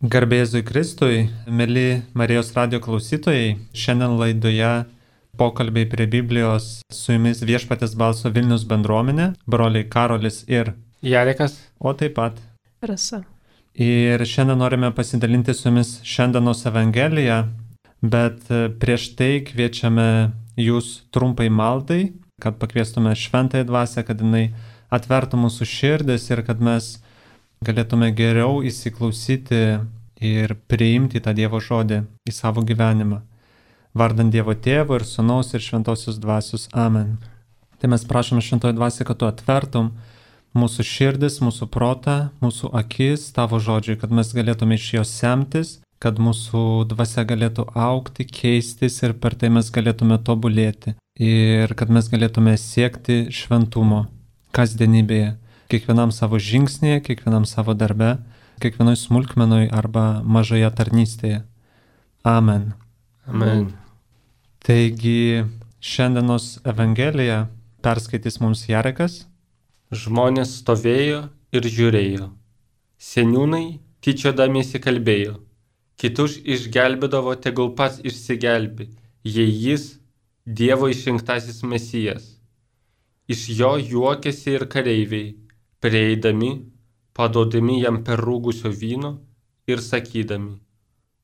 Garbėzui Kristui, mėly Marijos radio klausytojai, šiandien laidoje pokalbiai prie Biblijos su jumis Viešpaties balso Vilnius bendruomenė, broliai Karolis ir Jarekas, o taip pat Rasa. Ir šiandien norime pasidalinti su jumis šiandienos Evangeliją, bet prieš tai kviečiame jūs trumpai maldai, kad pakviestume Šventąją Dvasią, kad jinai atvertų mūsų širdis ir kad mes galėtume geriau įsiklausyti ir priimti tą Dievo žodį į savo gyvenimą. Vardant Dievo Tėvo ir Sūnaus ir Šventosios Dvasios. Amen. Tai mes prašome Šventoji Dvasia, kad tu atvertum mūsų širdis, mūsų protą, mūsų akis tavo žodžiui, kad mes galėtume iš jos semtis, kad mūsų dvasia galėtų augti, keistis ir per tai mes galėtume tobulėti. Ir kad mes galėtume siekti šventumo kasdienybėje, kiekvienam savo žingsnėje, kiekvienam savo darbe, kiekvienoj smulkmenoj arba mažoje tarnystėje. Amen. Amen. Taigi šiandienos Evangeliją perskaitys mums Jarekas. Žmonės stovėjo ir žiūrėjo. Seniūnai tyčiodamiesi kalbėjo. Kitus išgelbėdavo, tegul pats išsigelbi, jei jis Dievo išrinktasis Mesijas. Iš jo juokėsi ir kareiviai, prieidami, padodami jam per rūgusio vyno ir sakydami,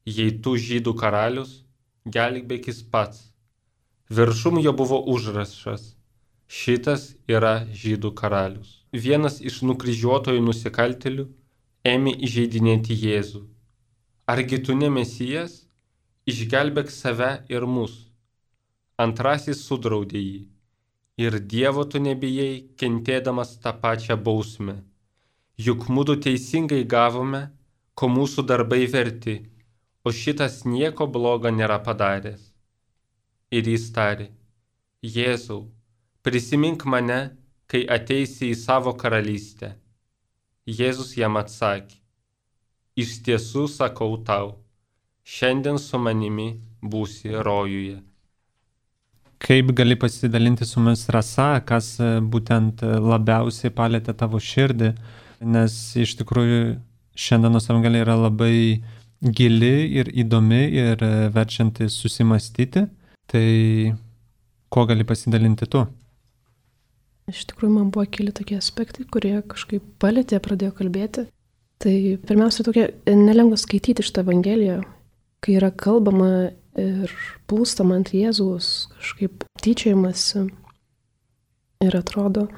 jei tu žydų karalius, gelbėkis pats. Viršum jo buvo užrašas, šitas yra žydų karalius. Vienas iš nukryžiuotojų nusikaltėlių ėmė įžeidinėti Jėzų. Argi tu ne Mesijas? Išgelbėk save ir mus. Antrasis sudraudė jį. Ir Dievo tu nebijai, kentėdamas tą pačią bausmę. Juk mudu teisingai gavome, ko mūsų darbai verti, o šitas nieko blogo nėra padaręs. Ir jis tarė, Jėzau, prisimink mane, kai ateisi į savo karalystę. Jėzus jam atsakė, iš tiesų sakau tau, šiandien su manimi būsi rojuje. Kaip gali pasidalinti su mumis, Rasa, kas būtent labiausiai palėtė tavo širdį, nes iš tikrųjų šiandienos Evangelija yra labai gili ir įdomi ir verčianti susimastyti. Tai ko gali pasidalinti tu? Iš tikrųjų, man buvo keli tokie aspektai, kurie kažkaip palėtė, pradėjo kalbėti. Tai pirmiausia, tokia nelengva skaityti šitą Evangeliją, kai yra kalbama ir plūstama ant Jėzaus, kažkaip tyčiojimasi. Ir atrodo,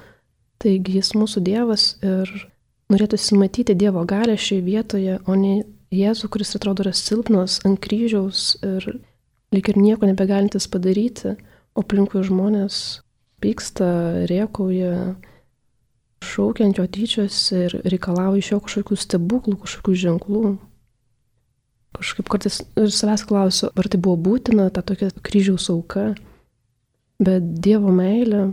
taigi jis mūsų Dievas ir norėtųsi matyti Dievo galią šioje vietoje, o ne Jėzų, kuris atrodo yra silpnas ant kryžiaus ir lyg ir nieko nebegalintis padaryti, o aplinkui žmonės pyksta, rėkauja, šaukia ant jo tyčiasi ir reikalauja iš jo kažkokių stebuklų, kažkokių ženklų. Kažkaip kartais ir savęs klausiu, ar tai buvo būtina, ta tokia kryžiaus auka, bet Dievo meilė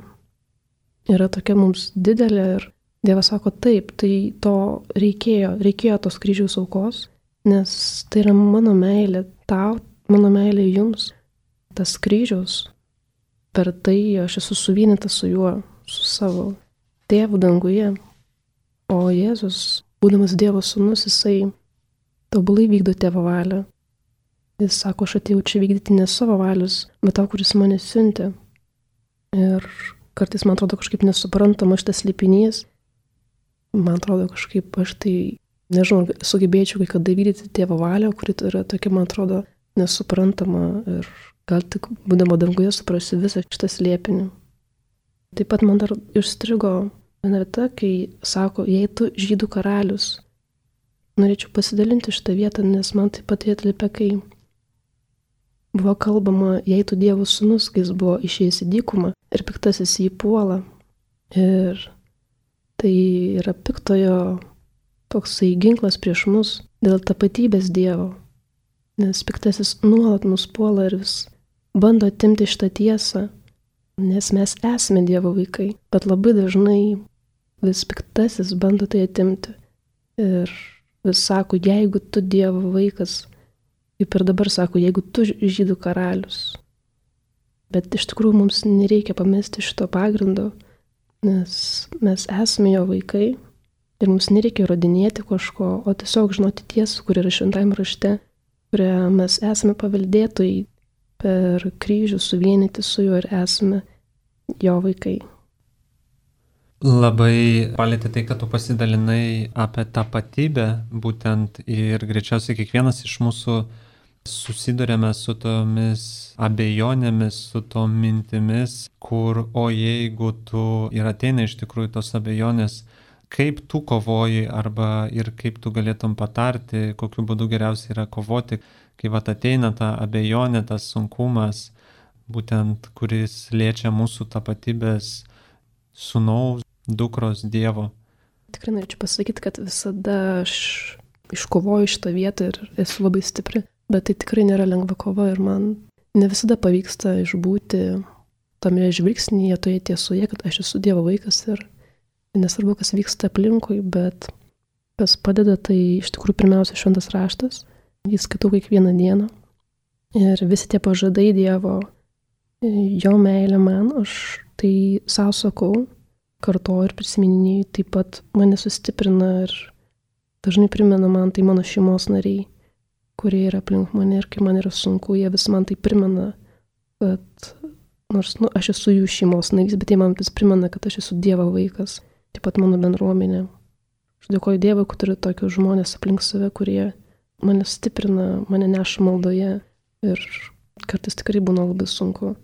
yra tokia mums didelė ir Dievas sako taip, tai to reikėjo tos kryžiaus aukos, nes tai yra mano meilė tau, mano meilė jums, tas kryžiaus, per tai aš esu suvienytas su juo, su savo tėvu danguje, o Jėzus, būdamas Dievo sūnus, jisai tobulai vykdo tėvo valią. Jis sako, aš atėjau čia vykdyti ne savo valios, bet tau, kuris mane siuntė. Ir kartais man atrodo kažkaip nesuprantama šitas slėpinys. Man atrodo kažkaip aš tai, nežinau, sugebėčiau kai kada vykdyti tėvo valią, kuri yra tokia, man atrodo, nesuprantama ir gal tik būdama danguje suprasiu visą šitą slėpinį. Taip pat man dar užstrigo viena vieta, kai sako, jei tu žydų karalius. Norėčiau pasidalinti šitą vietą, nes man taip pat atlipia, kai buvo kalbama, jei tu Dievo sūnus, kai jis buvo išėjęs į dykumą ir piktasis jį puola. Ir tai yra piktojo toksai ginklas prieš mus dėl tapatybės Dievo, nes piktasis nuolat mus puola ir vis bando atimti šitą tiesą, nes mes esame Dievo vaikai, bet labai dažnai vis piktasis bando tai atimti. Ir vis sako, jeigu tu Dievo vaikas, kaip ir dabar sako, jeigu tu žydų karalius. Bet iš tikrųjų mums nereikia pamesti šito pagrindo, nes mes esame jo vaikai Ir mums nereikia įrodinėti kažko, o tiesiog žinoti tiesą, kur yra šventajame rašte, kurią mes esame paveldėtojai, per kryžių suvienyti su juo ir esame jo vaikai. Labai palėtė tai, kad tu pasidalinai apie tapatybę, būtent ir greičiausiai kiekvienas iš mūsų susidurėme su tomis abejonėmis, su tom mintimis, kur, o jeigu tu ir ateina iš tikrųjų tos abejonės, kaip tu kovoji arba ir kaip tu galėtum patarti, kokiu būdu geriausia yra kovoti, kai vat ateina ta abejonė, tas sunkumas, būtent kuris liečia mūsų tapatybės sūnaus, dukros Dievo. Tikrai norėčiau pasakyti, kad visada aš iškovoju šitą vietą ir esu labai stipri, bet tai tikrai nėra lengva kova ir man ne visada pavyksta išbūti tame žvilgsnyje, toje tiesoje, kad aš esu Dievo vaikas ir nesvarbu, kas vyksta aplinkui, bet kas padeda, tai iš tikrųjų pirmiausia šventas raštas. Jis skaitau kiekvieną dieną. Ir visi tie pažadai Dievo, jo meilė man, aš tai savo sakau, kartoju ir prisimininiai, taip pat mane sustiprina ir dažnai primena man tai mano šeimos nariai, kurie yra aplink mane ir kai man yra sunku, jie vis man tai primena, kad nors aš esu jų šeimos narys, bet jie man vis primena, kad aš esu Dievo vaikas, taip pat mano bendruomenė. Aš dėkoju Dievui, kad turiu tokius žmonės aplink save, kurie mane stiprina, mane neša maldoje ir kartais tikrai būna labai sunku.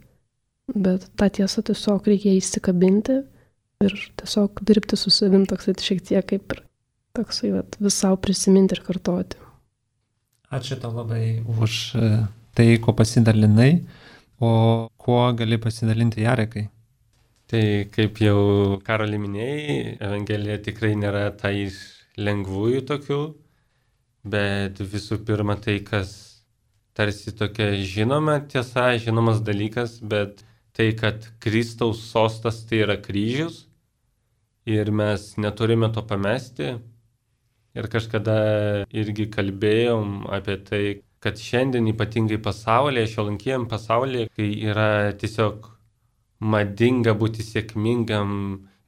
Bet tą tiesą tiesiog reikia įsikabinti ir tiesiog dirbti su savim toksai šiek tiek kaip ir toksai vis savo prisiminti ir kartoti. Ačiū tau labai už tai, ko pasidalinai, o kuo gali pasidalinti Jarekai? Tai kaip jau Karoli minėjai, Evangelija tikrai nėra ta iš lengvųjų tokių, bet visų pirma tai, kas tarsi tokia žinoma tiesa, žinomas dalykas, bet tai, kad Kristaus sostas tai yra kryžius ir mes neturime to pamesti. Ir kažkada irgi kalbėjom apie tai, kad šiandien ypatingai pasaulyje, šiuolaikiniam pasaulyje, kai yra tiesiog madinga būti sėkmingam,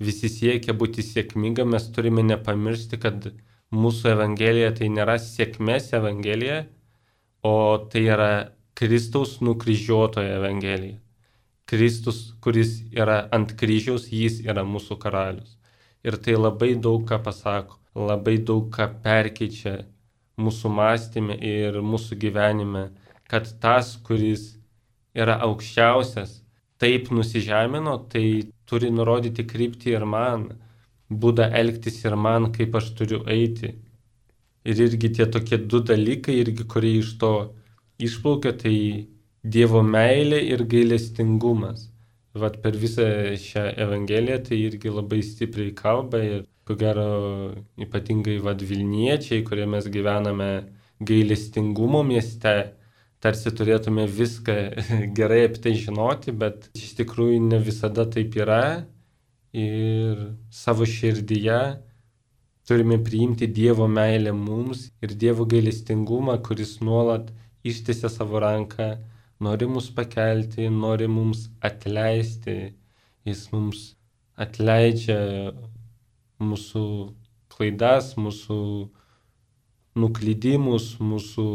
visi siekia būti sėkmingam, mes turime nepamiršti, kad mūsų Evangelija tai nėra sėkmės Evangelija, o tai yra Kristaus nukryžiuotojo Evangelija. Kristus, kuris yra ant kryžiaus, jis yra mūsų karalius. Ir tai labai daug ką pasako, labai daug ką perkeičia mūsų mąstyme ir mūsų gyvenime, kad tas, kuris yra aukščiausias, taip nusižemino, tai turi nurodyti kryptį ir man, būdą elgtis ir man, kaip aš turiu eiti. Ir irgi tie tokie du dalykai, irgi kurie iš to išplaukia, tai Dievo meilė ir gailestingumas. Vat per visą šią Evangeliją tai irgi labai stipriai kalba ir ko gero ypatingai Vilniečiai, kurie mes gyvename gailestingumo mieste, tarsi turėtume viską gerai apie tai žinoti, bet iš tikrųjų ne visada taip yra ir savo širdyje turime priimti Dievo meilę mums ir Dievo gailestingumą, kuris nuolat ištiesia savo ranką, nori mus pakelti, nori mums atleisti. Jis mums atleidžia mūsų klaidas, mūsų nuklydimus, mūsų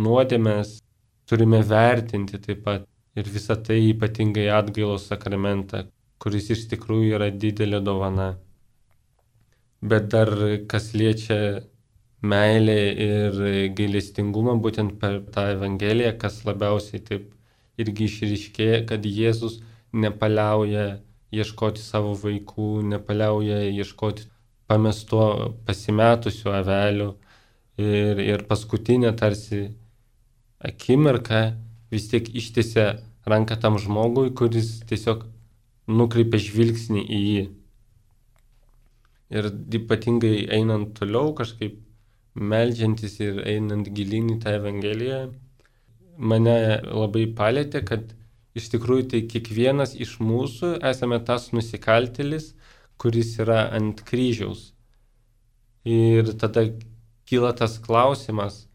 nuodėmes. Turime vertinti taip pat ir visą tai ypatingai atgailos sakramentą, kuris iš tikrųjų yra didelė dovana. Bet dar kas liečia meilė ir gailestingumą, būtent per tą Evangeliją, kas labiausiai taip irgi išryškėja, kad Jėzus nepaliauja ieškoti savo vaikų, nepaliauja ieškoti pasimetusių avelių ir paskutinę tarsi akimirką vis tiek ištiesia ranką tam žmogui, kuris tiesiog nukreipia žvilgsnį į jį. Ir ypatingai einant toliau kažkaip meldžiantis ir einant gilyn į tą Evangeliją, mane labai palėtė, kad iš tikrųjų tai kiekvienas iš mūsų esame tas nusikaltėlis, kuris yra ant kryžiaus. Ir tada kyla tas klausimas,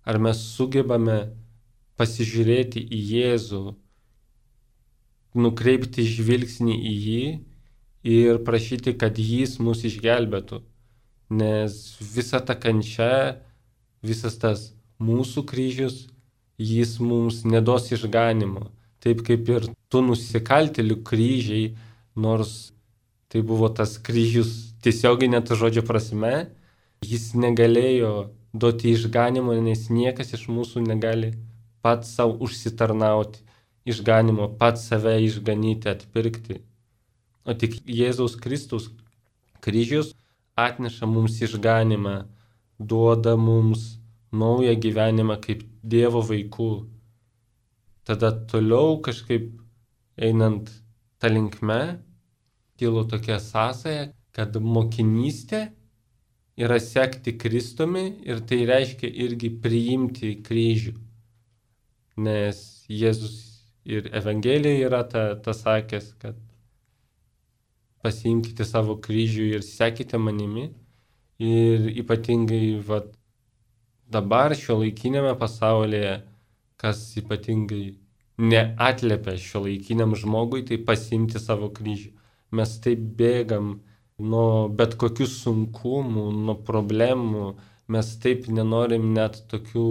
ar mes sugebame pasižiūrėti į Jėzų, nukreipti žvilgsnį į jį ir prašyti, kad jis mus išgelbėtų. nes visa ta kančia, visas tas mūsų kryžius, jis mums neduos išganimo. Taip kaip ir tų nusikaltėlių kryžiai, nors tai buvo tas kryžius tiesioginė to žodžio prasme, jis negalėjo duoti išganimo, nes niekas iš mūsų negali pats savo užsitarnauti išganimo, pats save išganyti, atpirkti. O tik Jėzaus Kristaus kryžius atneša mums išganimą, duoda mums naują gyvenimą kaip Dievo vaikų. Tada toliau kažkaip einant tą linkme, kilo tokia sąsaja, kad mokinystė yra sekti Kristumi ir tai reiškia irgi priimti kryžių. Nes Jėzus ir Evangelijoje yra ta sakęs, kad pasiimkite savo kryžių ir sekite manimi. Ir ypatingai dabar šiuolaikiniame pasaulyje, kas ypatingai neatliepia šiuolaikiniam žmogui, tai pasiimti savo kryžių. Mes taip bėgam nuo bet kokių sunkumų, nuo problemų, mes taip nenorim net tokių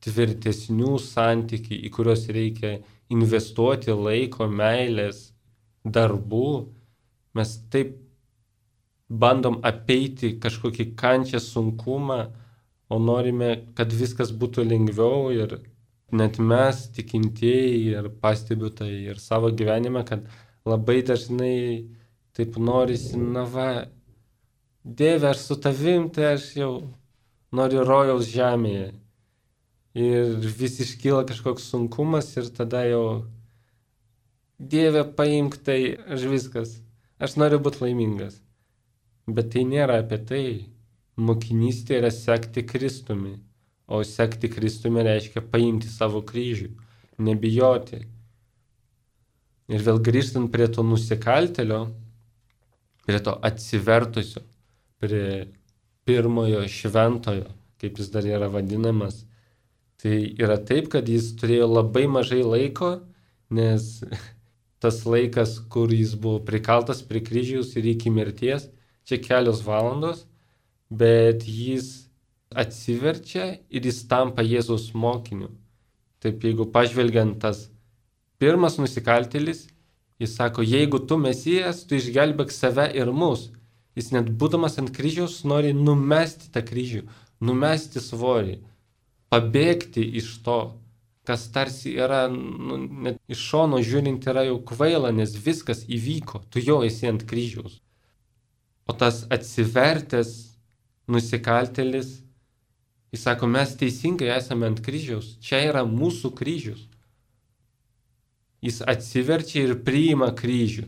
tvirtesnių santykių, į kuriuos reikia investuoti laiko, meilės, darbų. Mes taip bandom apeiti kažkokį kančią, sunkumą, o norime, kad viskas būtų lengviau. Ir net mes, tikintieji, ir pastebiu tai ir savo gyvenime, kad labai dažnai taip norisi, Dieve, aš su tavim, tai aš jau noriu rojaus žemėje. Ir vis iškyla kažkoks sunkumas ir tada jau, Dieve, paimk tai, aš noriu būti laimingas. Bet tai nėra apie tai. Mokinystė yra sekti Kristumi, o sekti Kristumi reiškia paimti savo kryžių, nebijoti. Ir vėl grįžtant prie to nusikaltėlio, prie to atsivertusio, prie pirmojo šventojo, kaip jis dar yra vadinamas, tai yra taip, kad jis turėjo labai mažai laiko, nes tas laikas, kur jis buvo prikaltas prie kryžiaus ir iki mirties, čia kelios valandos, bet jis atsiverčia ir jis tampa Jėzaus mokiniu. Taip, jeigu pažvelgiant tas pirmas nusikaltėlis, jis sako, jeigu tu Mesijas, tu išgelbėk save ir mus. Jis net būdamas ant kryžiaus nori numesti tą kryžių, numesti svorį, pabėgti iš to, kas tarsi yra, net iš šono žiūrint yra jau kvaila, nes viskas įvyko, tu jau esi ant kryžiaus. O tas atsivertęs nusikaltėlis, jis sako, mes teisingai esame ant kryžiaus, čia yra mūsų kryžius. Jis atsiverčia ir priima kryžių.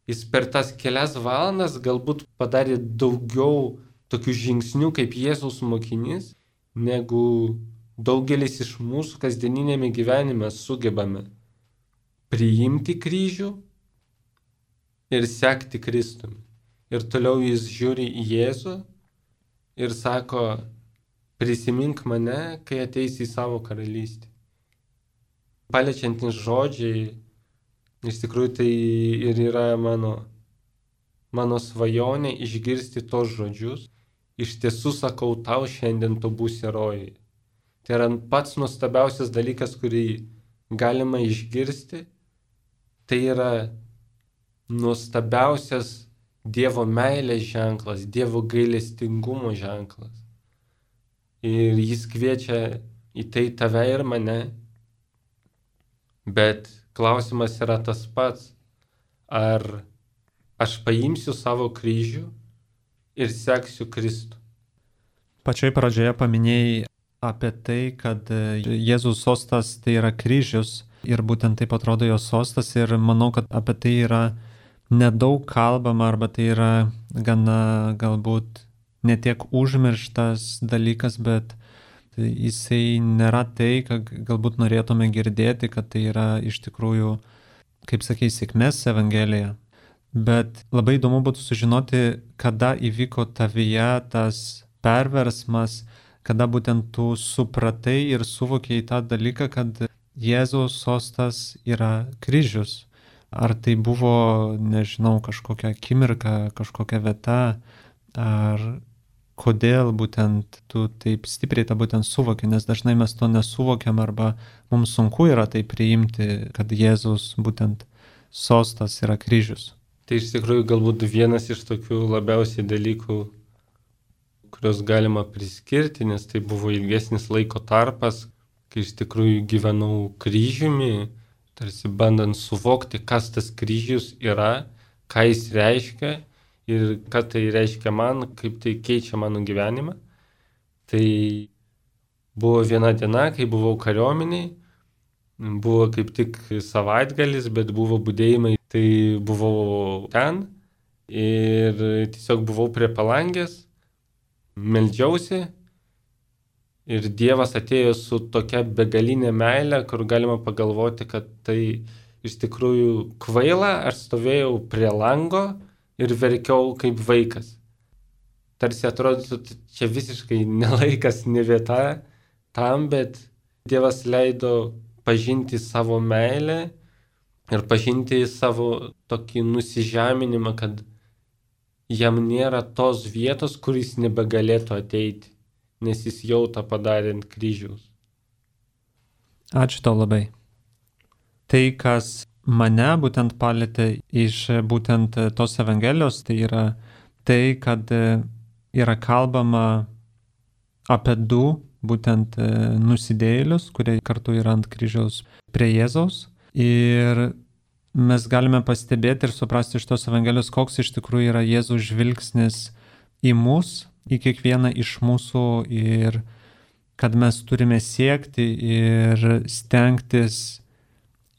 Jis per tas kelias valandas galbūt padarė daugiau tokių žingsnių kaip Jėzaus mokinys, negu daugelis iš mūsų kasdieninėme gyvenime sugebame priimti kryžių ir sekti Kristumi. Ir toliau jis žiūri į Jėzų ir sako, prisimink mane, kai ateisi į savo karalystę. Paliečiantys žodžiai, iš tikrųjų tai ir yra mano svajonė išgirsti tos žodžius. Iš tiesų sakau tau, šiandien tu būsi rojuje. Tai yra pats nuostabiausias dalykas, kurį galima išgirsti. Tai yra nuostabiausias Dievo meilės ženklas, Dievo gailestingumo ženklas. Ir jis kviečia į tai tave ir mane. Bet klausimas yra tas pats, ar aš paimsiu savo kryžių ir seksiu Kristų. Pačioj pradžioje paminėjai apie tai, kad Jėzaus sostas tai yra kryžius ir būtent taip atrodo jo sostas ir manau, kad apie tai yra nedaug kalbama arba tai yra gana galbūt netiek užmirštas dalykas, bet jisai nėra tai, ką galbūt norėtume girdėti, kad tai yra iš tikrųjų, kaip sakei, sėkmės evangelija. Bet labai įdomu būtų sužinoti, kada įvyko tavyje tas perversmas, kada būtent tu supratai ir suvokėjai tą dalyką, kad Jėzaus sostas yra kryžius. Ar tai buvo, nežinau, kažkokia akimirka, kažkokia vieta, ar kodėl būtent tu taip stipriai tą būtent suvoki, nes dažnai mes to nesuvokiam arba mums sunku yra tai priimti, kad Jėzaus būtent sostas yra kryžius. Tai iš tikrųjų galbūt vienas iš tokių labiausiai dalykų, kuriuos galima priskirti, nes tai buvo ilgesnis laiko tarpas, kai iš tikrųjų gyvenau kryžiumi, tarsi bandant suvokti, kas tas kryžius yra, ką jis reiškia ir ką tai reiškia man, kaip tai keičia mano gyvenimą. Tai buvo viena diena, kai buvau kariuomeniai, buvo kaip tik savaitgalis, bet buvo budėjimai, tai buvau ten ir tiesiog buvau prie palangės, meldžiausi ir Dievas atėjo su tokia begalinė meilė, kur galima pagalvoti, kad tai iš tikrųjų kvaila, aš stovėjau prie lango ir verkiau kaip vaikas. Tarsi atrodytų, čia visiškai nelaikas, ne vieta tam, bet Dievas leido pažinti savo meilę ir pažinti savo tokį nusižeminimą, kad jam nėra tos vietos, kur jis nebegalėtų ateiti, nes jis jau tą padarė ant kryžiaus. Ačiū tau labai. Tai, kas mane būtent palėtė iš būtent tos Evangelijos, tai yra tai, kad yra kalbama apie du būtent nusidėjėlius, kurie kartu yra ant kryžiaus prie Jėzaus. Ir mes galime pastebėti ir suprasti iš tos Evangelijos, koks iš tikrųjų yra Jėzaus žvilgsnis į mus, į kiekvieną iš mūsų ir kad mes turime siekti ir stengtis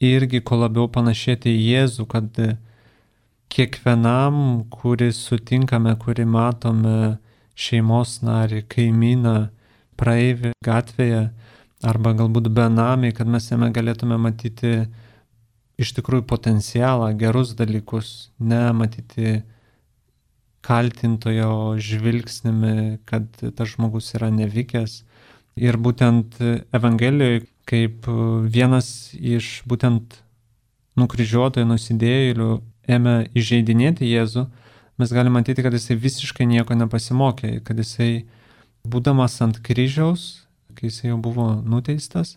irgi kuo labiau panašėti į Jėzų, kad kiekvienam, kurį sutinkame, kurį matome, šeimos narį, kaimyną, praeivį gatvėje arba galbūt benamį, kad mes jame galėtume matyti iš tikrųjų potencialą, gerus dalykus, ne matyti kaltintojo žvilgsnimi, kad tas žmogus yra nevykęs. Ir būtent Evangelijoje, kaip vienas iš būtent nukryžiuotojų nusidėjėlių ėmė įžeidinėti Jėzų, mes galime matyti, kad jisai visiškai nieko nepasimokė, kad jisai, būdamas ant kryžiaus, kai jisai jau buvo nuteistas,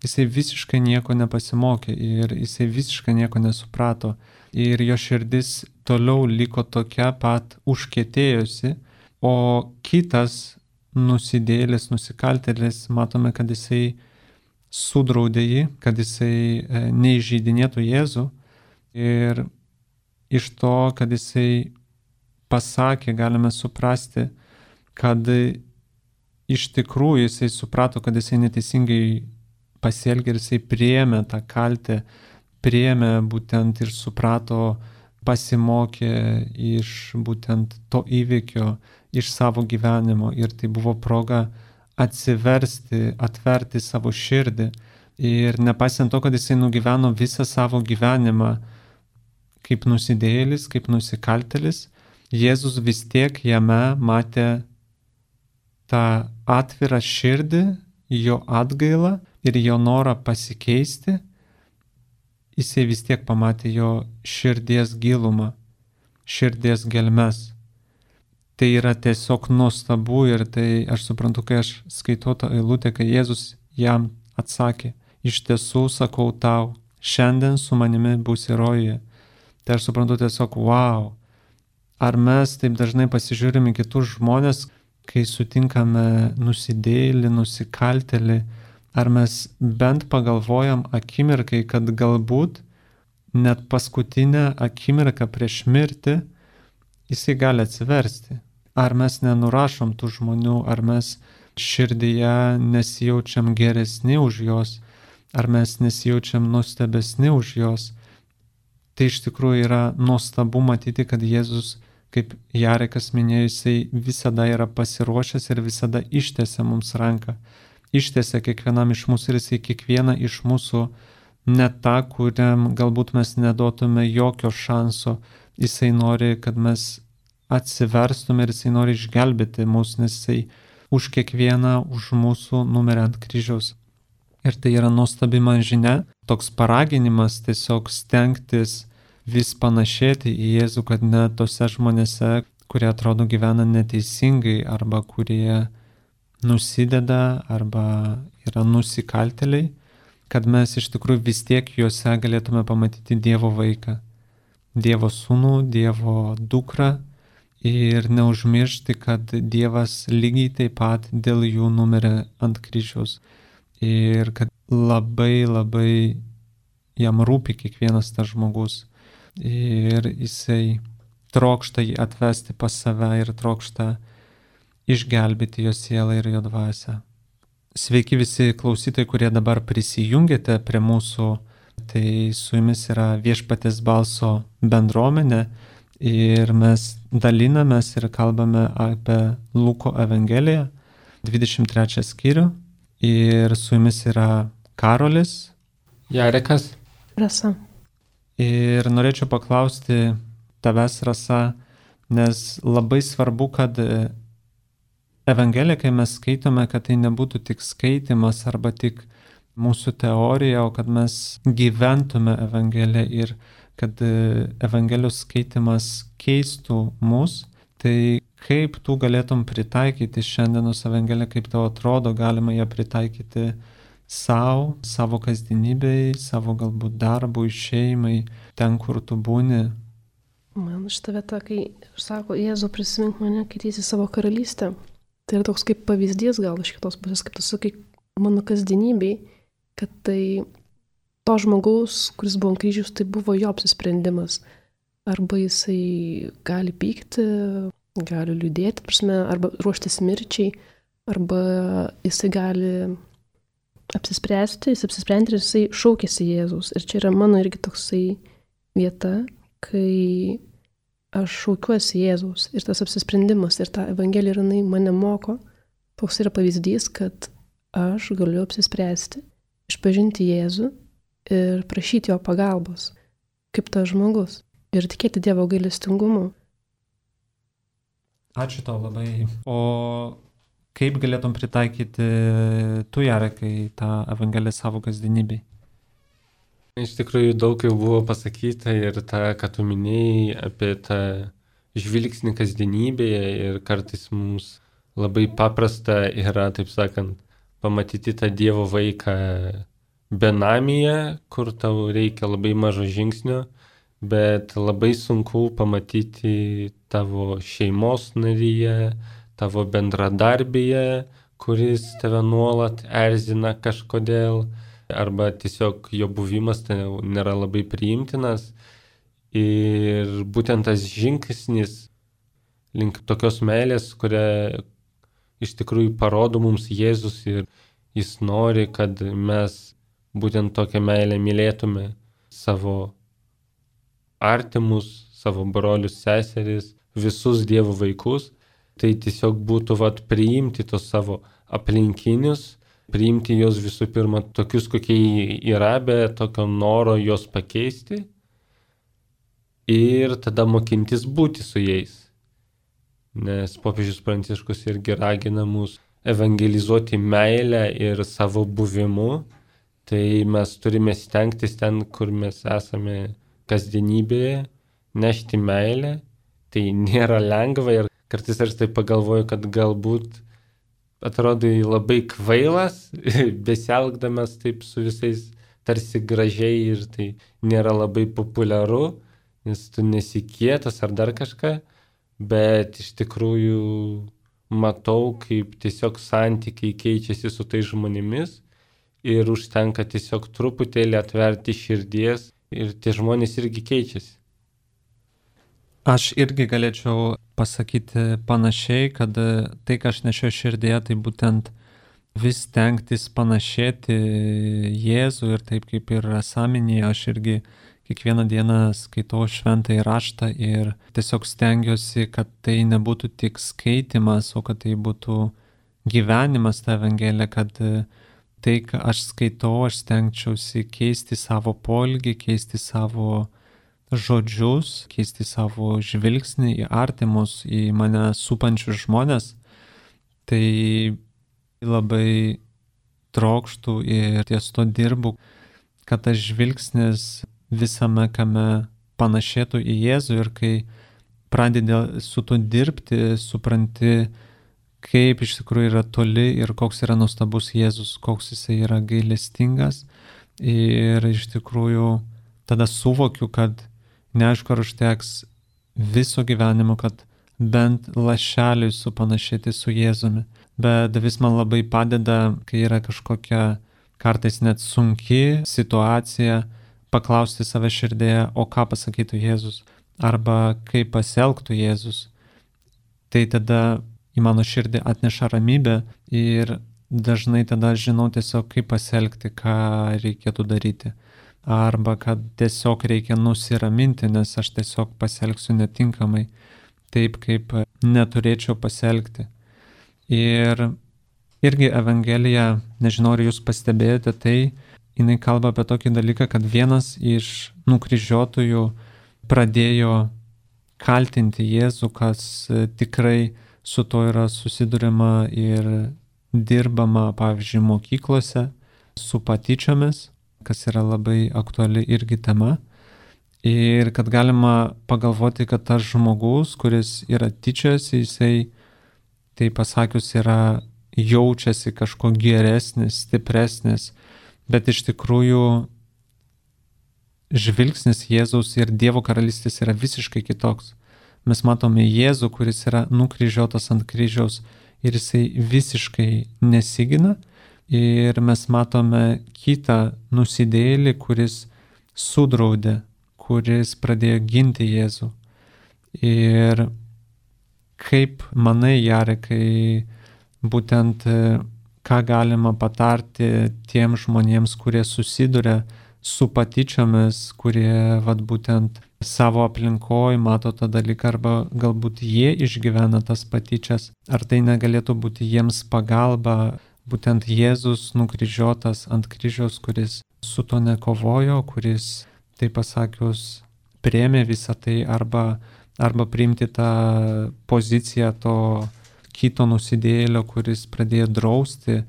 jisai visiškai nieko nepasimokė ir jisai visiškai nieko nesuprato. Ir jo širdis toliau liko tokia pat užkietėjusi, o kitas nusidėjėlis, nusikaltėlis, matome, kad jisai sudraudė jį, kad jisai neįžeidinėtų Jėzų. Ir iš to, kad jisai pasakė, galime suprasti, kad iš tikrųjų jisai suprato, kad jisai neteisingai pasielgė ir jisai priėmė tą kaltę, priėmė būtent ir suprato, pasimokė iš būtent to įvykio, iš savo gyvenimo ir tai buvo proga atsiversti, atverti savo širdį ir nepaisant to, kad jisai nugyveno visą savo gyvenimą kaip nusidėjėlis, kaip nusikaltėlis, Jėzus vis tiek jame matė tą atvirą širdį, jo atgailą ir jo norą pasikeisti. Jisai vis tiek pamatė jo širdies gilumą, širdies gelmes. Tai yra tiesiog nuostabu ir tai aš suprantu, kai aš skaitau tą eilutę, kai Jėzus jam atsakė, iš tiesų sakau tau, šiandien su manimi būsi rojuje. Tai aš suprantu tiesiog, wow, ar mes taip dažnai pasižiūrime kitus žmonės, kai sutinkame nusidėjėlį, nusikaltėlį, ar mes bent pagalvojam akimirkai, kad galbūt net paskutinę akimirką prieš mirtį jisai gali atsiversti. Ar mes nenurašom tų žmonių, ar mes širdyje nesijaučiam geresni už juos, ar mes nesijaučiam nuostabesni už juos. Tai iš tikrųjų yra nuostabu matyti, kad Jėzus, kaip Jarekas minėjo, jisai visada yra pasiruošęs ir visada ištiesia mums ranką. Ištiesia kiekvienam iš mūsų ir jisai kiekvieną iš mūsų, ne tą, kuriam galbūt mes neduotume jokio šanso, jisai nori, kad mes atsiverstume ir jisai nori išgelbėti mus, nes jisai už kiekvieną, už mūsų numirė ant kryžiaus. Ir tai yra nuostabi man žinia, toks paraginimas tiesiog stengtis vis panašėti į Jėzų, kad net tose žmonėse, kurie atrodo gyvena neteisingai arba kurie nusideda arba yra nusikaltėliai, kad mes iš tikrųjų vis tiek juose galėtume pamatyti Dievo vaiką, Dievo sūnų, Dievo dukrą ir neužmiršti, kad Dievas lygiai taip pat dėl jų numirė ant kryžiaus ir kad labai jam rūpi kiekvienas tas žmogus ir jisai trokšta jį atvesti pas save ir trokšta išgelbėti jo sielą ir jo dvasią. Sveiki visi klausytojai, kurie dabar prisijungėte prie mūsų. Tai su jumis yra Viešpaties balso bendruomenė ir mes dalinamės ir kalbame apie Luko Evangeliją, 23 skyrių. Ir su jumis yra Karolis, Jarekas, Rasa. Ir norėčiau paklausti tavęs, Rasa, nes labai svarbu, kad Evangeliją, kai mes skaitome, kad tai nebūtų tik skaitimas arba tik mūsų teorija, o kad mes gyventume Evangeliją ir kad Evangelijos skaitimas keistų mus. Tai kaip tu galėtum pritaikyti šiandienos Evangeliją, kaip tau atrodo, galima ją pritaikyti savo kasdienybei, savo galbūt darbui, šeimai, ten, kur tu būni? Man šitą vietą, kai sako, Jėzau, prisimink mane, kai ateisi savo karalystę. Tai yra toks kaip pavyzdys gal iš kitos pusės, kaip tu sakai, mano kasdienybei, kad tai to žmogaus, kuris buvo ant kryžiaus, tai buvo jo apsisprendimas. Arba jisai gali pykti, gali liūdėti, prasme, arba ruoštis mirčiai, arba jisai gali apsispręsti, jis apsisprendė ir jisai šaukėsi Jėzaus. Ir čia yra mano irgi toksai vieta, kai aš šaukiuosi Jėzaus ir tas apsisprendimas ir ta Evangelija jinai mane moko. Toks yra pavyzdys, kad aš galiu apsispręsti, išpažinti Jėzų ir prašyti jo pagalbos, kaip tas žmogus, ir tikėti Dievo gailestingumu. Ačiū tau labai. O kaip galėtum pritaikyti tu, Jarekai, tą Evangeliją savo kasdienybei? Iš tikrųjų daug jau buvo pasakyta ir tą, ką tu minėjai apie tą žvilgsnį kasdienybėje ir kartais mums labai paprasta yra, taip sakant, pamatyti tą Dievo vaiką benamyje, kur tau reikia labai mažo žingsnio, bet labai sunku pamatyti tavo šeimos naryje, tavo bendradarbėje, kuris tave nuolat erzina kažkodėl, arba tiesiog jo buvimas tai nėra labai priimtinas. Ir būtent tas žingsnis link tokios meilės, kurią iš tikrųjų parodo mums Jėzus ir jis nori, kad mes būtent tokią meilę mylėtume savo artimus, savo brolius, seseris, visus Dievo vaikus. Tai tiesiog būtų priimti tos savo aplinkinius, priimti juos visų pirma tokius, kokie yra, be tokio noro juos pakeisti ir tada mokintis būti su jais. Nes popiežius Pranciškus irgi ragina mus evangelizuoti meilę ir savo buvimu, tai mes turime stengtis ten, kur mes esame kasdienybėje, nešti meilę. Tai nėra lengva ir kartais aš tai pagalvoju, kad galbūt atrodai labai kvailas, besielgdamas taip su visais tarsi gražiai ir tai nėra labai populiaru, nes tu nesi kietas ar dar kažką, bet iš tikrųjų matau, kaip tiesiog santykiai keičiasi su tais žmonėmis ir užtenka tiesiog truputėlį atverti širdies ir tie žmonės irgi keičiasi. Aš irgi galėčiau pasakyti panašiai, kad tai, ką aš nešiau širdėje, tai būtent vis stengtis panašėti Jėzų ir taip kaip ir Rasa minėjo, aš irgi kiekvieną dieną skaitau šventąjį raštą ir tiesiog stengiuosi, kad tai nebūtų tik skaitimas, o kad tai būtų gyvenimas ta Evangelija, kad tai, ką aš skaitau, aš stengčiausi keisti savo poelgį, keisti savo žodžius, keisti savo žvilgsnį į artimus, į mane supančius žmonės. Tai labai trokštų ir ties to dirbu, kad tas žvilgsnis visame kame panašėtų į Jėzų ir kai pradedi su tuo dirbti, supranti, kaip iš tikrųjų yra toli ir koks yra nuostabus Jėzus, koks jisai yra gailestingas. Ir iš tikrųjų tada suvokiu, kad neaišku, ar užteks viso gyvenimo, kad bent lašeliui supanašėti su Jėzumi. Bet vis man labai padeda, kai yra kažkokia kartais net sunki situacija, paklausti save širdėje, o ką pasakytų Jėzus, arba kaip pasielgtų Jėzus. Tai tada į mano širdį atneša ramybę ir dažnai tada žinau tiesiog, kaip pasielgti, ką reikėtų daryti. Arba kad tiesiog reikia nusiraminti, nes aš tiesiog pasielgsiu netinkamai, taip kaip neturėčiau pasielgti. Ir irgi Evangelija, nežinau, ar jūs pastebėjote, tai jinai kalba apie tokį dalyką, kad vienas iš nukryžiuotųjų pradėjo kaltinti Jėzų, kas tikrai su to yra susiduriama ir dirbama, pavyzdžiui, mokyklose, su patyčiomis, kas yra labai aktuali irgi tema. Ir kad galima pagalvoti, kad tas žmogus, kuris yra tyčiojasi, jisai, tai pasakius, yra jaučiasi kažko geresnis, stipresnis, bet iš tikrųjų žvilgsnis Jėzaus ir Dievo karalystės yra visiškai kitoks. Mes matome Jėzų, kuris yra nukryžiuotas ant kryžiaus ir jisai visiškai nesigina. Ir mes matome kitą nusidėjėlį, kuris sudraudė, kuris pradėjo ginti Jėzų. Ir kaip manai, Jarekai, būtent ką galima patarti tiem žmonėms, kurie susiduria su patyčiomis, kurie būtent savo aplinkoje mato tą dalyką, arba galbūt jie išgyvena tas patyčias, ar tai negalėtų būti jiems pagalba, būtent Jėzus nukryžiuotas ant kryžiaus, kuris su to nekovojo, kuris, tai pasakius, priėmė visą tai, arba priimti tą poziciją to kito nusidėjėlio, kuris pradėjo drausti,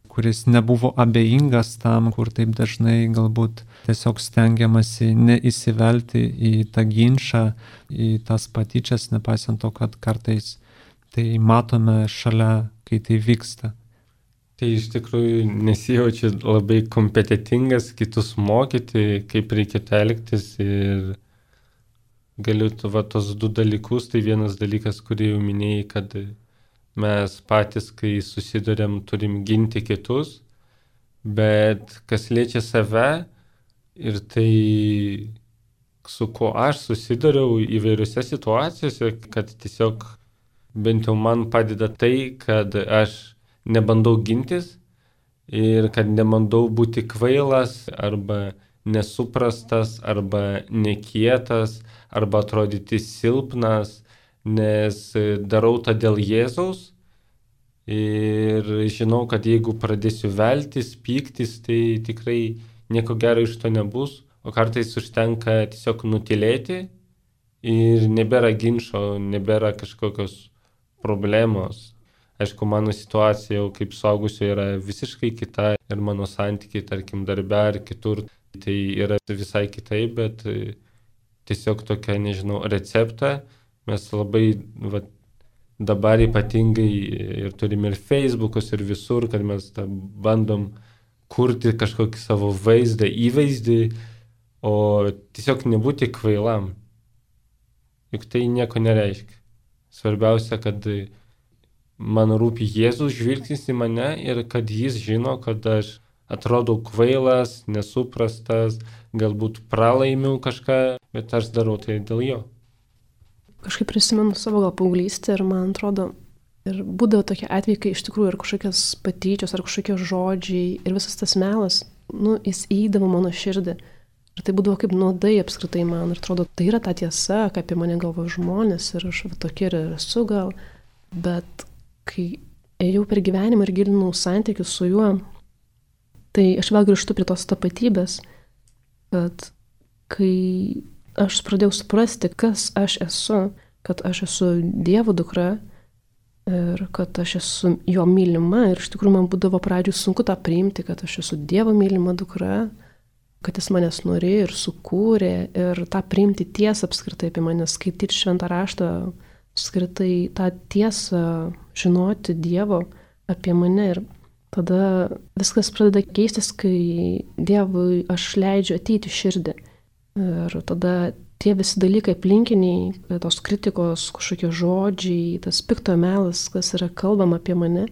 kuris nebuvo abejingas tam, kur taip dažnai galbūt tiesiog stengiamasi neįsivelti į tą ginčą, į tas patyčias, nepaisant to, kad kartais tai matome šalia, kai tai vyksta. Tai iš tikrųjų nesijaučiu labai kompetitingas kitus mokyti, kaip reikėtų elgtis, ir galiu tos du dalykus. Tai vienas dalykas, kurį jau minėjai, kad mes patys, kai susidurėm, turim ginti kitus, bet kas liečia save ir tai, su kuo aš susiduriau įvairiose situacijose, kad tiesiog bent jau man padeda tai, kad aš nebandau gintis ir kad nebandau būti kvailas arba nesuprastas arba nekietas arba atrodyti silpnas, nes darau tą dėl Jėzaus ir žinau, kad jeigu pradėsiu veltis, pyktis, tai tikrai nieko gero iš to nebus, o kartais užtenka tiesiog nutylėti ir nebėra ginčo, nebėra kažkokios problemos. Aišku, mano situacija jau kaip suaugusio yra visiškai kita ir mano santykiai, tarkim, darbe ar kitur, tai yra visai kitaip, bet tiesiog tokia, nežinau, receptą. Mes labai dabar ypatingai ir turim ir Facebookus ir visur, kad mes bandom kurti kažkokį savo vaizdą, įvaizdį, o tiesiog nebūti kvailam. Juk tai nieko nereiškia. Svarbiausia, kad man rūpi Jėzus žvilgsnis į mane ir kad jis žino, kad aš atrodau kvailas, nesuprastas, galbūt pralaimiu kažką, bet aš darau tai dėl jo. Kažkaip prisimenu savo gal paauglystę ir man atrodo, ir būdavo tokie atvejai, kai iš tikrųjų ir kažkokios patyčios, ar kažkokie žodžiai ir visas tas melas, jis įeidavo mano širdį. Ir tai būdavo kaip nuodai apskritai man. Ir atrodo, tai yra ta tiesa, ką apie mane galvoja žmonės ir aš tokia ir esu gal. Bet kai ėjau per gyvenimą ir gilinau santykius su juo, tai aš vėl grįžtu prie tos tapatybės, kad kai aš pradėjau suprasti, kas aš esu, kad aš esu Dievo dukra ir kad aš esu jo mylima. Ir iš tikrųjų man būdavo pradžių sunku tą priimti, kad aš esu Dievo mylima dukra kad jis manęs norėjo ir sukūrė ir tą priimti tiesą apskritai apie mane, skaityti šventą raštą, apskritai tą tiesą žinoti Dievo apie mane. Ir tada viskas pradeda keistis, kai Dievui aš leidžiu ateiti širdį. Ir tada tie visi dalykai aplinkiniai, tos kritikos, kažkokie žodžiai, tas pikto melas, kas yra kalbama apie mane,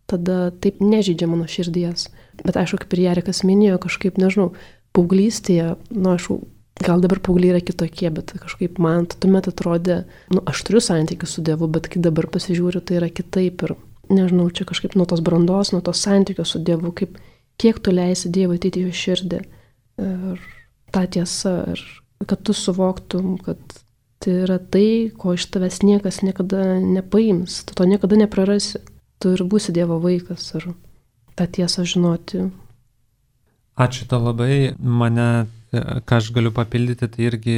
tada taip nežydžia mano širdies. Bet aišku, kaip ir Jarikas minėjo, kažkaip, nežinau, paauglystėje, aišku, gal dabar paaugliai yra kitokie, bet kažkaip man tuomet atrodė, aš turiu santykių su Dievu, bet kai dabar pasižiūriu, tai yra kitaip. Ir nežinau, čia kažkaip nuo tos brandos, nuo tos santykių su Dievu, kiek tu leisi Dievui ateiti į jo širdį. Ir ta tiesa, ir kad tu suvoktum, kad tai yra tai, ko iš tavęs niekas niekada nepaims, tu to niekada neprarasi. Tu ir būsi Dievo vaikas ir tą tiesą žinoti. Ačiū tau labai. Mane, ką aš galiu papildyti, tai irgi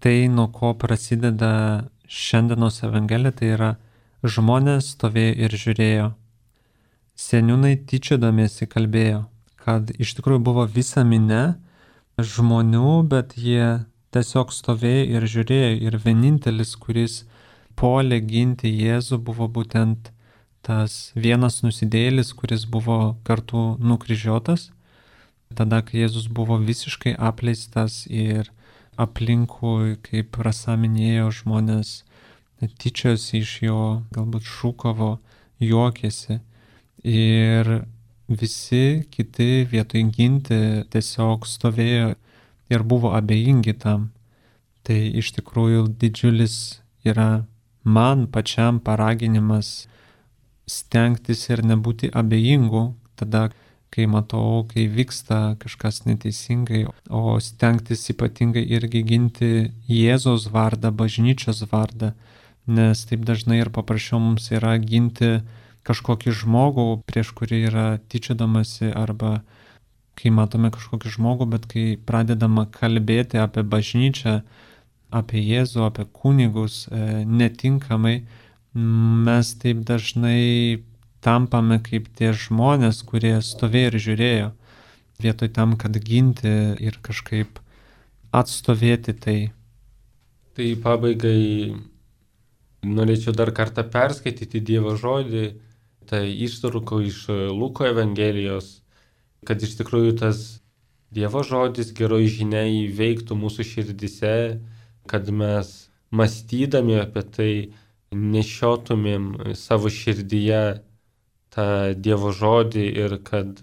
tai, nuo ko prasideda šiandienos Evangelija, tai yra žmonės stovėjo ir žiūrėjo. Seniūnai tyčiodamiesi kalbėjo, kad iš tikrųjų buvo visa minia žmonių, bet jie tiesiog stovėjo ir žiūrėjo. Ir vienintelis, kuris puolė ginti Jėzų, buvo būtent tas vienas nusidėjėlis, kuris buvo kartu nukryžiuotas. Tada, kai Jėzus buvo visiškai apleistas ir aplinkui, kaip Rasa minėjo, žmonės tyčiosi iš jo, galbūt šūkavo, juokėsi. Ir visi kiti vietoj ginti tiesiog stovėjo ir buvo abejingi tam. Tai iš tikrųjų didžiulis yra man pačiam paraginimas stengtis ir nebūti abejingu tada, kai matau, kai vyksta kažkas neteisingai, o stengtis ypatingai irgi ginti Jėzaus vardą, bažnyčios vardą, nes taip dažnai ir paprasčiau mums yra ginti kažkokį žmogų, prieš kurį yra tyčiodamasi, arba kai matome kažkokį žmogų, bet kai pradedama kalbėti apie bažnyčią, apie Jėzų, apie kunigus netinkamai, mes taip dažnai tampame kaip tie žmonės, kurie stovėjo ir žiūrėjo, vietoj tam, kad ginti ir kažkaip atstovėti tai. Tai pabaigai norėčiau dar kartą perskaityti Dievo žodį, tai ištrauka iš Luko Evangelijos, kad iš tikrųjų tas Dievo žodis, geroji žinia įveiktų mūsų širdise, kad mes mąstydami apie tai nešiotumėm savo širdyje tą Dievo žodį ir kad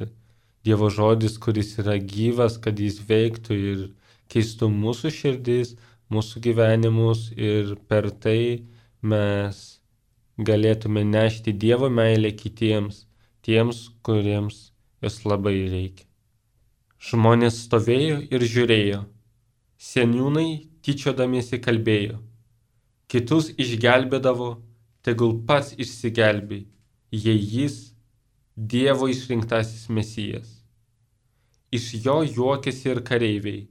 Dievo žodis, kuris yra gyvas, kad jis veiktų ir keistų mūsų širdis, mūsų gyvenimus ir per tai mes galėtume nešti Dievo meilę kitiems, tiems, kuriems jos labai reikia. Žmonės stovėjo ir žiūrėjo, seniūnai tyčiodamiesi kalbėjo, kitus išgelbėdavo, tegul pats išsigelbė, jei jis Dievo išrinktasis Mesijas. Iš jo juokėsi ir kareiviai,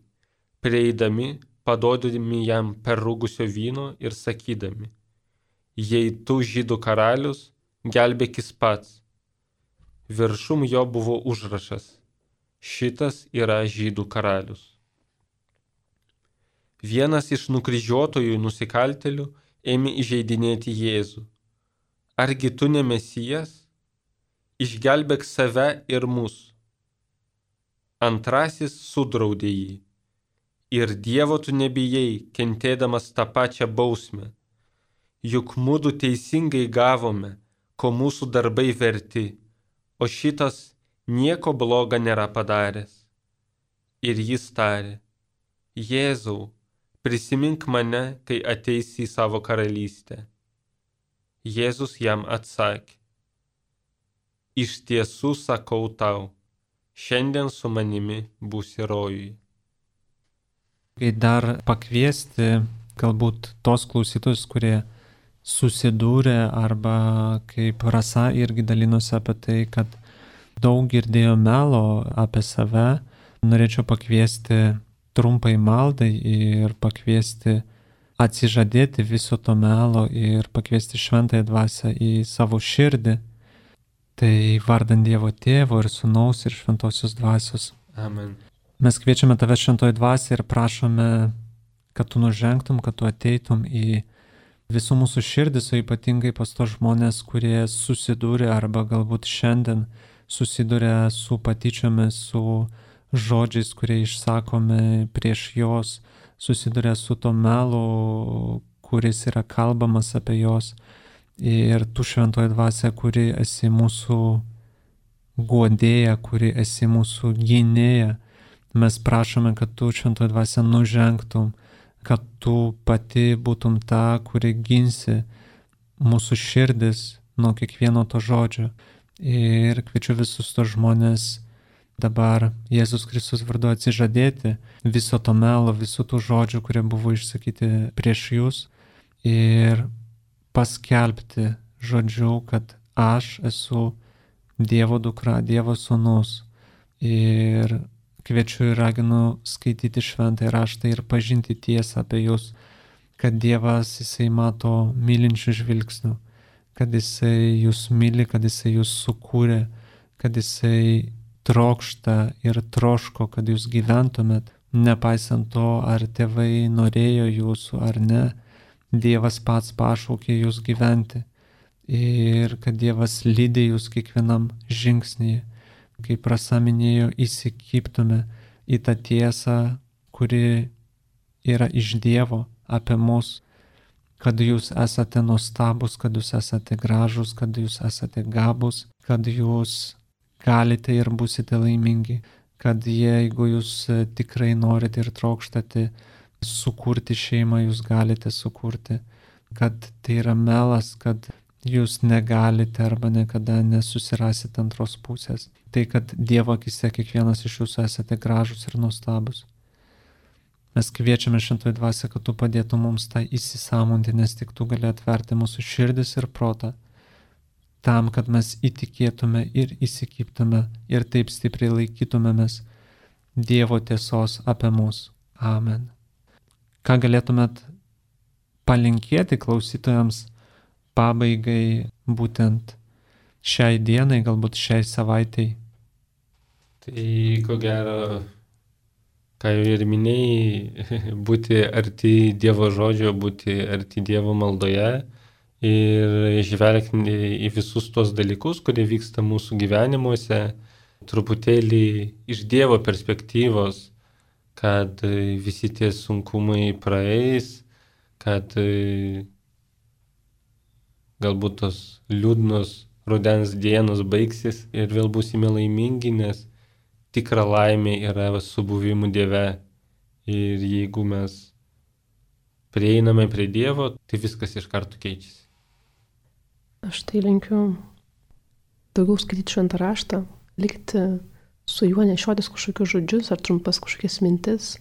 prieidami, padodami jam perrūgusio vyno ir sakydami, jei tu žydų karalius, gelbėkis pats. Viršum jo buvo užrašas, šitas yra žydų karalius. Vienas iš nukryžiuotojų nusikaltėlių ėmė įžeidinėti Jėzų. Argi tu ne Mesijas? Išgelbėk save ir mus. Antrasis sudraudė jį. Ir Dievo tu nebijai, kentėdamas tą pačią bausmę. Juk mudu teisingai gavome, ko mūsų darbai verti, o šitas nieko bloga nėra padaręs. Ir jis tarė, Jėzau, prisimink mane, kai ateisi į savo karalystę. Jėzus jam atsakė, iš tiesų sakau tau, šiandien su manimi būsi rojuje. Kai dar pakviesti galbūt tos klausytojus, kurie susidūrė arba kaip Rasa irgi dalinosi apie tai, kad daug girdėjo melo apie save, norėčiau pakviesti trumpai maldai ir pakviesti atsižadėti viso to melo ir pakviesti šventąją dvasią į savo širdį. Tai vardant Dievo Tėvo ir Sūnaus ir Šventosios Dvasios. Amen. Mes kviečiame tave šventoji dvasia ir prašome, kad tu nužengtum, kad tu ateitum į visų mūsų širdis, o ypatingai pas tos žmonės, kurie susidūrė arba galbūt šiandien susidūrė su patyčiomis, su žodžiais, kurie išsakomi prieš jos, susidūrė su to melu, kuris yra kalbamas apie jos. Ir tu šventoji dvasia, kuri esi mūsų guodėja, kuri esi mūsų gynėja, mes prašome, kad tu šventoji dvasia nužengtum, kad tu pati būtum ta, kuri ginsi mūsų širdis nuo kiekvieno to žodžio. Ir kviečiu visus tos žmonės dabar Jėzus Kristus vardu atsižadėti viso to melo, visų tų žodžių, kurie buvo išsakyti prieš jūs ir paskelbti žodžiu, kad aš esu Dievo dukra, Dievo sūnus. Ir kviečiu ir raginu skaityti šventąjį raštą ir pažinti tiesą apie jūs, kad Dievas jisai mato mylinčių žvilgsnių, kad jisai jūs myli, kad jisai jūs sukūrė, kad jisai trokšta ir troško, kad jūs gyventumėt, nepaisant to, ar tėvai norėjo jūsų ar ne. Dievas pats pašaukė jūs gyventi ir kad Dievas lydi jūs kiekvienam žingsnyje. Kaip Rasa minėjo, įsikibtume į tą tiesą, kuri yra iš Dievo apie mus, kad jūs esate nuostabus, kad jūs esate gražus, kad jūs esate gabus, kad jūs galite ir būsite laimingi, kad jeigu jūs tikrai norite ir trokštate sukurti šeimą, jūs galite sukurti, kad tai yra melas, kad jūs negalite arba niekada nesusirasite antros pusės. Tai, kad Dievo akise kiekvienas iš jūsų esate gražus ir nuostabus. Mes kviečiame šventoji dvasia, kad tu padėtum mums tą įsisąmonti, nes tik tu gali atverti mūsų širdis ir protą, tam, kad mes įtikėtume ir įsikibtume ir taip stipriai laikytumėmės Dievo tiesos apie mus. Amen. Ką galėtumėt palinkėti klausytojams pabaigai būtent šiai dienai, galbūt šiai savaitai? Tai ko gero, ką jau ir minėjai, būti arti Dievo žodžio, būti arti Dievo maldoje ir žvelgti į visus tuos dalykus, kurie vyksta mūsų gyvenimuose, truputėlį iš Dievo perspektyvos, kad visi tie sunkumai praeis, kad galbūt tos liūdnos rudens dienos baigsis ir vėl būsime laimingi, nes tikra laimė yra su buvimu Dieve. Ir jeigu mes prieiname prie Dievo, tai viskas iš karto keičiasi. Aš tai linkiu daugiau skaityti šventą raštą, likti su juo, nešiotis kažkokius žodžius ar trumpas kažkokias mintis,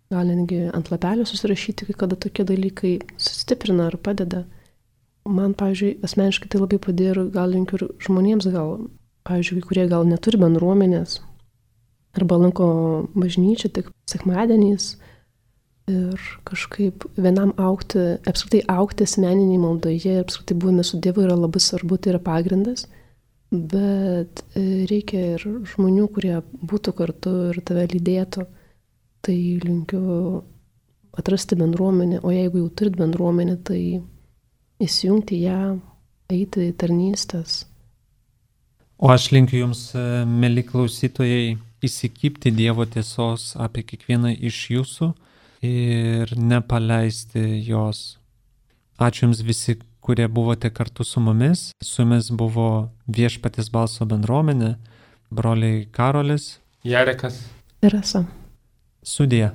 gal netgi ant lapelio susirašyti, kai kada tokie dalykai sustiprina ar padeda. Man, pavyzdžiui, asmeniškai tai labai padėjo ir gal linkiu ir žmonėms, gal, pavyzdžiui, kurie gal neturi bendruomenės arba lanko bažnyčią tik sekmadieniais ir kažkaip vienam augti, apskritai augti asmeniniai maldoje ir apskritai buvime su Dievu yra labai svarbu, tai yra pagrindas, bet reikia ir žmonių, kurie būtų kartu ir tave lydėtų. Tai linkiu atrasti bendruomenę, o jeigu jau turit bendruomenę, tai įsijungti ją, eiti į tarnystės. O aš linkiu jums, mėly klausytojai, įsikibti Dievo tiesos apie kiekvieną iš jūsų ir nepaleisti jos. Ačiū jums visi, kurie buvote kartu su mumis. Su jumis buvo Viešpaties balso bendruomenė, broliai Karolis, Jarekas ir Rasa. Sudie.